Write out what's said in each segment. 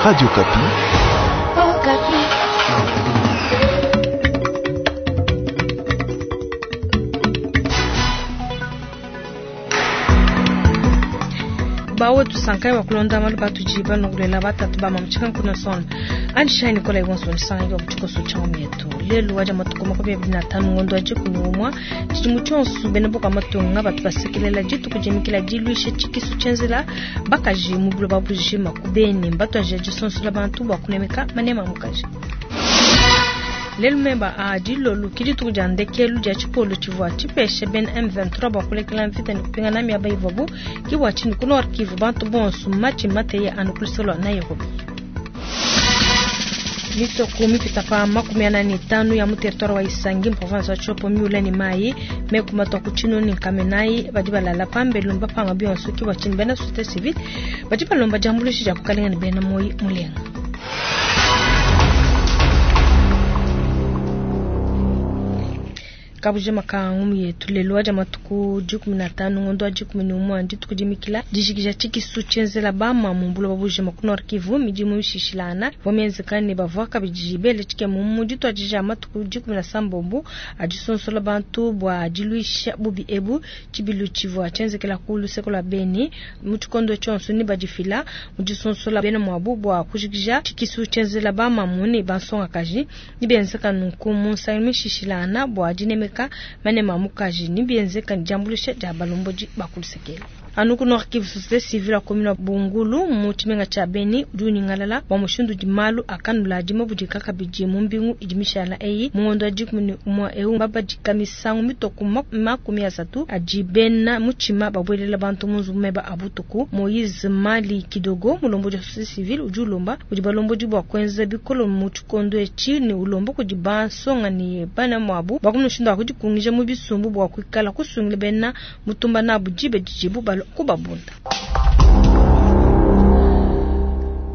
Radio Okapi. Okapi. Bawe tusankaye wa kulonda malu batudi balongolela batatu ba mamu kuna sona andishayi nikola iwonso nisanga wa kuchikoso cha mietu lelu waja matuko 25 ngondo aje kunyumwa tshidimu tshionso bena boka matunga batu basekelela dituku dimikila diluisha tshikisu tshenzela bakaji mu buloba bujima kubeni mbatu aja disonsola bantu bua kunemeka manema mukaji. Lelu meba a dilolu ke dituku dia ndekelu dia tshipolo tshivua tshipesha bena M23 bua kulekela mvita ne kupingana miaba ivuabu ke bua tshinyi ku Nord Kivu bantu bonso matshi mateye anu ku luseke lua Nairobi. Misoko mipita pa 45 ya mu territoire wa Isangi mu province wa Tshopo miula ne mayi meku matua ku Tshinunu ne Nkamenayi badi balala pambelu mbapanga bionso ke bua tshinyi bena société civile badi balomba diambuluisha dia kukalenga ne bena moyi mulenga. Kabujima ka ngumu yetu lelu waja matuku 15 ngondo wa 11 dituku dimikila dijikija tshikisu tshienzela bama mu buloba bujima ku Nord Kivu midimu mishishilana ivua mienzeka ne bavua kabidi bele tshikemu mu dituadija matuku 17 adisonsola bantu bua diluisha bubi ebu. Tshibilu tshivua tshienzekela ku luseke lua Beni mu tshikondo tshionso ne badifila mu disonsola bena muabu bua kujikija tshikisu tshienzela bamamu ne bansongakaji ne bienzeka nunku mu nsangilu mishishilana bua dinemeka manema mukaji ni bienzeka diambuluisha dia balombodi ba ku lusekelo. Anu ku Nord Kivu, société civile ya commune wa Bungulu mu tshimenga tshia Beni udi unyingalala bua mushindu udi malu akanula adi mabudika kabidi mu mbingu idi mishala eyi mu ngondo wa 11 eu babadika misangu mitoko 30 adi bena mutshima babuelela bantu mu nzubu meba a butuku. Moise Mali Kidogo mulombodi wa société civile udi ulomba kudi balombodi bua kuenza bikolo mu tshikondo etshi ne ulomba kudi bansonga ne bana muabu bua mushindu wa kudikungija mu bisumbu bua kuikala kusungila bena mutumba nabu dibe didibu balua kubabunda.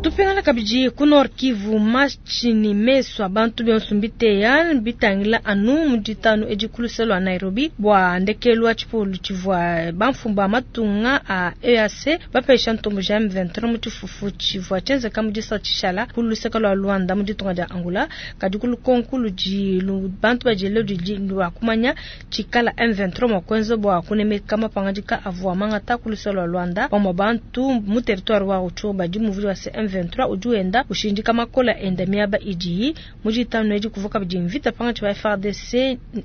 Tupingana kabidi ku Nord Kivu, matshi ne mesu a bantu bionso mbiteya bitangila anu mu ditanu edi ku luseke lua Nairobi bua ndekelu wa tshipolu tshivua bamfumu ba matunga a EAC bapesha ntombo ja M23 mu tshifufu tshivua tshienzeka mu disa tshishala ku luseke lua Luanda mu ditunga dia Angola. Kadi ku lukonko ludi bantu badiele ludi lua kumanya tshikala M23 mua kuenza bua kunemeka mapangadika avua mangata ku luseke lua Luanda pamue bantu mu territoire wa Rutshuru badi muvuli wa M23 udi wenda ushindika makola enda miaba idiyi mu ditanu edi kuvua kabidi mvita pangatshi ba FARDC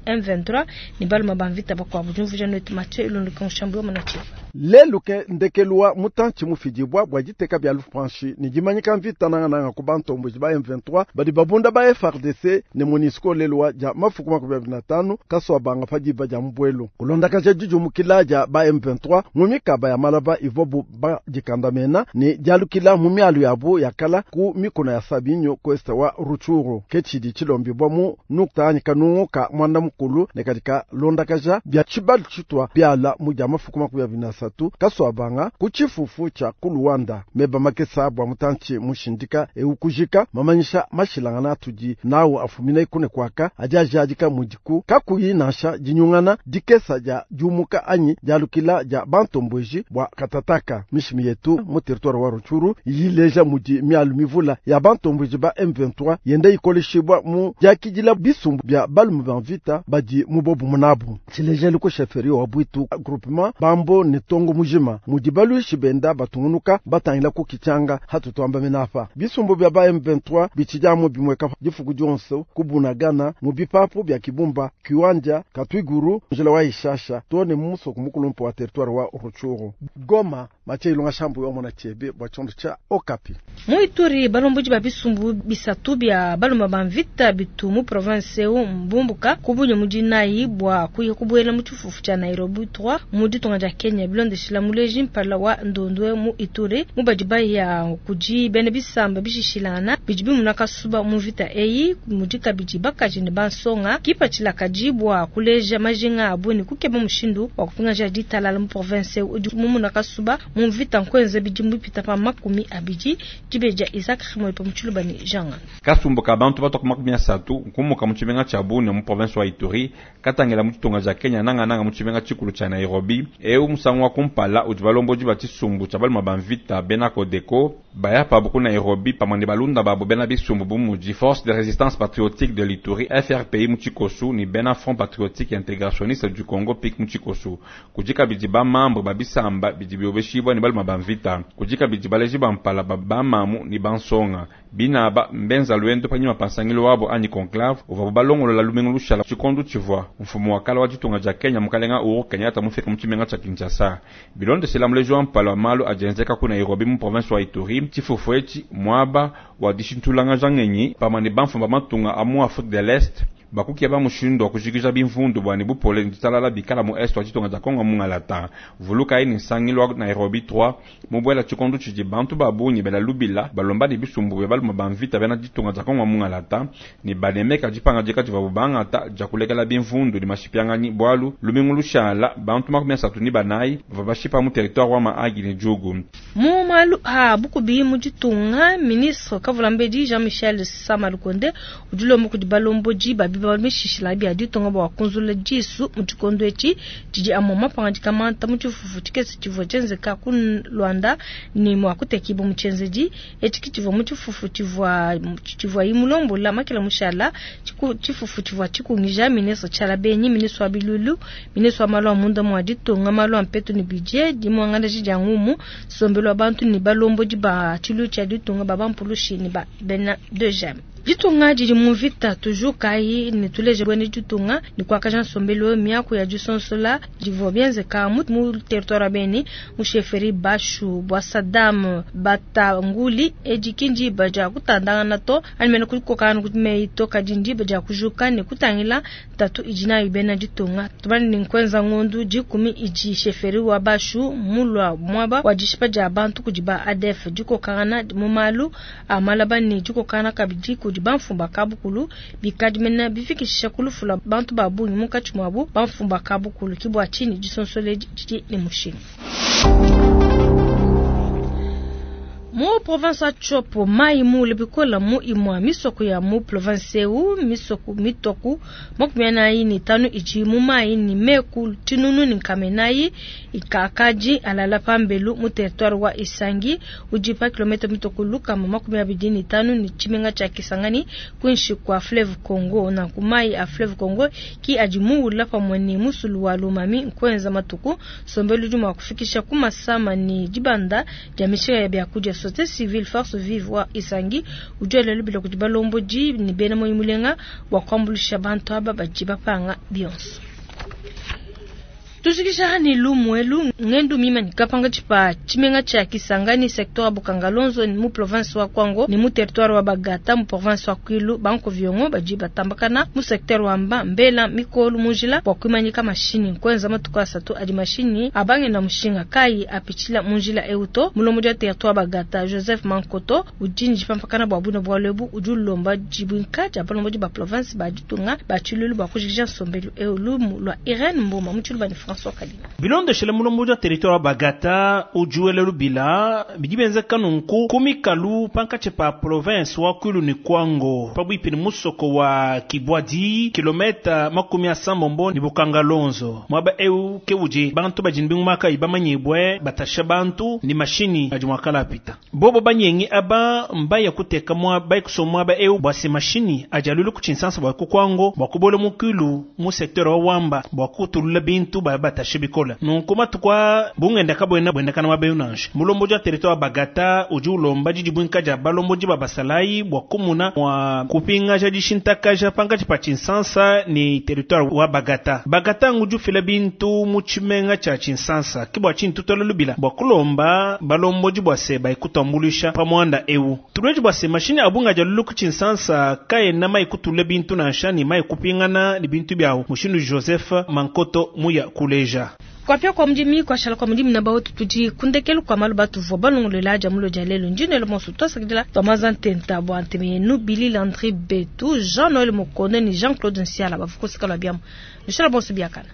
M23 ne baluma ba mvita bakuabu. Diumvuija netu Mathieu Ilunduka Mushambu wa Manachiva. Lelu ke ndekelu wa mutantshi mufidibua bua diteka bia lupanshi ne dimanyika mvita nangananga ku bantomboji ba M23 badi babunda ba FARDC ne MONUSCO lelu wa dia mafuku 25 kaswa banga pa diba dia mbuelu. Kulondakaja dijumukila dia ba M23 mu mikaba ya malaba ivuabu badikandamena ne dialukila mu mialu yabu yakala ku mikuna ya Sabinyo kwesta wa Rutshuru. Ke tshidi tshilombibua mu nukta anyi kanungu ka mwanda mukulu ne katika londakaja bia tshibalu tshitwa biala mu dia mafuku 23 kaswabanga ku tshifufu tsha ku Luanda. Meba makesa bua mutantshi mushindika eukujika mamanyisha mashilangana atudi nawu afumina ikune kwaka adi ajadika mudiku kakuyi nansha dinyungana dikesa dia diumuka anyi dialukila dia bantomboji bua katataka. Mishimi yetu mu territoire wa Rutshuru yileja mudi mialu mivula ya bantomboji ba M23 yenda ikoleshibwa mu diakidila bisumbu bia balume ba mvita badi mu bobu munabu. Tshilejelu ku chefferie wa Bwitu groupement Bambo ne Tongo mujima mudi baluishi benda batungunuka batangila ku kichanga hatutwamba menapa. Bisumbu bia ba M23 bichijamu bimweka difuku dionso kubunagana mu bipapu bia Kibumba, Kiwanja, Katwiguru, njila wa Ishasha tone muso kumukulumpo wa territoire wa Rutshuru. Goma Mathieu Ilunga Shambu wa mona chebe bwa chondo cha Okapi. Mu Ituri balomboji ba bisumbu bisatu bia baluma ba mvita bitu mu province eu mbumbuka kubunye mu dinayi bua kuya kubuela mu tshifufu tshia Nairobi 3 mu ditunga dia Kenya bilondeshila muleji mpala wa ndondwe mu Ituri mu badi baya kudi bena bisamba bishishilana bidi bimuna kasuba mu mvita eyi mudi kabidi bakaji ne bansonga kipatshila kadi bua kuleja majinga abu ne kukeba mushindu wa kupingaja ditalala mu province eu udi mumuna kasuba mu mvita nkwenza bidimu bipita pa 20 dibeja Isaac Moipo Mutshuluba ne Jean. Kasumbu ka bantu batoka 30 nkumuka mu tshimenga tshia Bunia mu province wa Ituri katangela mu tshitunga tshia Kenya nanga nanga mu tshimenga tshikulu tshia Nairobi eu musangu wa kumpala udi balombodi ba tshisumbu tshia baluma ba mvita bena Codeco. Baya pabu ku Nairobi pamue ne balunda babu bena bisumbu bu mudi Force de Resistance Patriotique de l'Ituri FRPI mu tshikosu ne bena Front Patriotique Integrationniste du Congo PIC mu tshikosu. Kudi kabidi ba membre ba bisamba bidi biobeshibua ne baluma ba mvita. Kudi kabidi baleji ba mpala ba bamamu ne bansonga. Binaba mbenza luendo panyima pa nsangilu wabo anyi conclave uvuabu balongolola lumingu lushala tshikondo tshivua mfumu wa kala wa ditunga dia Kenya mukalenga Uhuru Kenyatta mufika mu tshimenga tshia Kinshasa. Bilondeshela muleji wa mpala wa malu adi enzeka ku Nairobi mu province wa Ituri, tshifufu etshi muaba wa dishintulanganja ngenyi pamue ne bamfumu ba matunga a mu Afrique de l'Est bakukeba mushindu wa kujikija bimvundu bua ne bupole ne ditalala bikala mu est wa ditunga dia Kongo mungalata. Vulukayi ne nsangilu wa Nairobi 3 mubuela tshikondo tshidi bantu ba bungi bela lubila balomba ne bisumbu bia balume ba mvita bena ditunga dia Kongo mungalata ne banemeka dipangadika divuabu bangata dia kulekela bimvundu ne mashipianganyi bualu lumingu lushala bantu 34 bavua bashipa mu territoire wa Mahagi ne Djugu. Mu malu a bukubi mu ditunga, ministre Kavulambedi Jean-Michel Sama Lukonde udi ulomba kudi balombodi ba bibambalu bishishila bia ditunga bua kunzulula disu mu tshikondo etshi tshidi amue mapangadika manta mu tshifufu tshikese tshivua tshienzeka ku Luanda ne mua kutekibua mu tshienzedi etshi ki tshivua mu tshifufu tshivua tshivuayi mulombola makela mushala. Tshifufu tshivua tshikungija ministre Tshiala Benyi, ministre wa biluilu, ministre wa malu a munda mua ditunga, malu a mpetu ne budget, dimuangalaji dia ngumu, nsombelu wa bantu ne balombodi ba tshiluilu tshia ditunga ba bampulushi ne ba bena 2G. Ditunga didi mu mvita, tujukayi ne tuleje buena ditunga ne kuakaja nsombelu eu. Miaku ya disonsola divua bienzeka mu territoire wa Beni mu chefferie Bashu bua Saddam Batanguli. Edi ki ndiba dia kutandangana to anyi mene kukokangana ku meyi to, kadi ndiba dia kujuka ne kutangila ntatu idi nayo bena ditunga. Tumanye ne nkuenza ngondu 10 idi chefferie wa Bashu mulua muaba wa dishipa dia bantu kudi ba ADF, dikokangana mu malu a malaba ne dikokangana kabidi kudi bamfumu ba kabukulu bikadi mene bifikisha ku lufu lua bantu ba bungi munkatshi muabu bamfumu ba kabukulu. Ki bua tshinyi disonsola didi ne mushinga. Mu province wa Tshopo, mai muule bikola mu imua misoko ya mu province eu, misoko mitoku 45 idi mu mai ni meku tinunu ni nkamenayi ikakadi alala pambelu mu territoire wa Isangi udi pa kilomètre mitoku lukama 25 ni tshimenga tshia Kisangani kuinshi kwa fleuve Congo. Na kumai a fleuve Congo ki adi muula pamue ni musulu wa Lomami nkwenza matuku sombelu udi mua kufikisha ku masama ni dibanda dia mishinga ya biakudia. Société civile force vive wa Isangi udi elelo bila kudi balombodi ni bena moyo mulenga wa kuambulisha bantu aba badi bapanga bionso. Tujikisha ni lumwelu ngendu mima ni kapanga chipa chimenga cha Kisangani secteur wa Bukangalonzo ni mu province wa Kwango ni mu territoire wa Bagata mu province wa Kwilu banko viongo baji batambakana mu secteur wa Mba Mbela Mikolu mujila wa kuimanyika mashini kwenza matuka asatu adi mashini abange na mushinga kai apichila munjila euto mulomo dia territoire wa Bagata Joseph Mankoto ujinji pampakana bwa buna bwa lebu ujulomba jibwinka ja balombo ba province ba ditunga ba chilulu ba kujikisha nsombelu eulu lwa Irene Mboma muchulu ba ni France. Bilondeshele mulombo dia territoire wa Bagata ujuele lubila bidi benzeka nunku kumikalu pankatshi pa province wa Kwilu ni Kwango pabuipi ni musoko wa Kibwadi kilometa 70 ni Bukangalonzo mwaba eu ke udi bantu badi ni bingumaka ibamanyibwe batasha bantu ni mashini adi mwakala apita bobo banyengi aba mbaya kuteka mwa baikuso mwaba eu bwase mashini adi alulu kuchinsansa bwa ku Kwango bwa kubola mu Kwilu mu secteur wa Wamba bwa kutulula bintu ba batashe bikola nunku matukwa bungenda kabwena bwenda kana mabeyo nansha mulombo dia territoire Bagata udi ulomba didi bwinka dia balombo di babasalayi bwa kumuna mwa kupingaja dishintakaja pankatshi pa Tshinsansa ni territoire wa Bagata. Bagata ngudi ufila bintu mu tshimenga tshia Tshinsansa ke bua tshintu twala lubila bua kulomba balombo di bua se baikutambuluisha pa muanda eu tuleji bua se mashini abunga dia lulu ku Tshinsansa kaena maikutule bintu nansha ni maikupingana ni bintu biawu mushindu Joseph Mankoto muya kuleja. Kwa pia kwa mjimi kwa shala kwa mjimi na baotu tuji kundekelu kwa malu batu vwa balongo lela jamulo jalelo njinelo monso twasakidila twamaza ntenta bwa ntemenu Billy Landry Betu Jean Noël Mokone ni Jean-Claude Nsiala bavukosikala biamu. Nishala bonso biakana.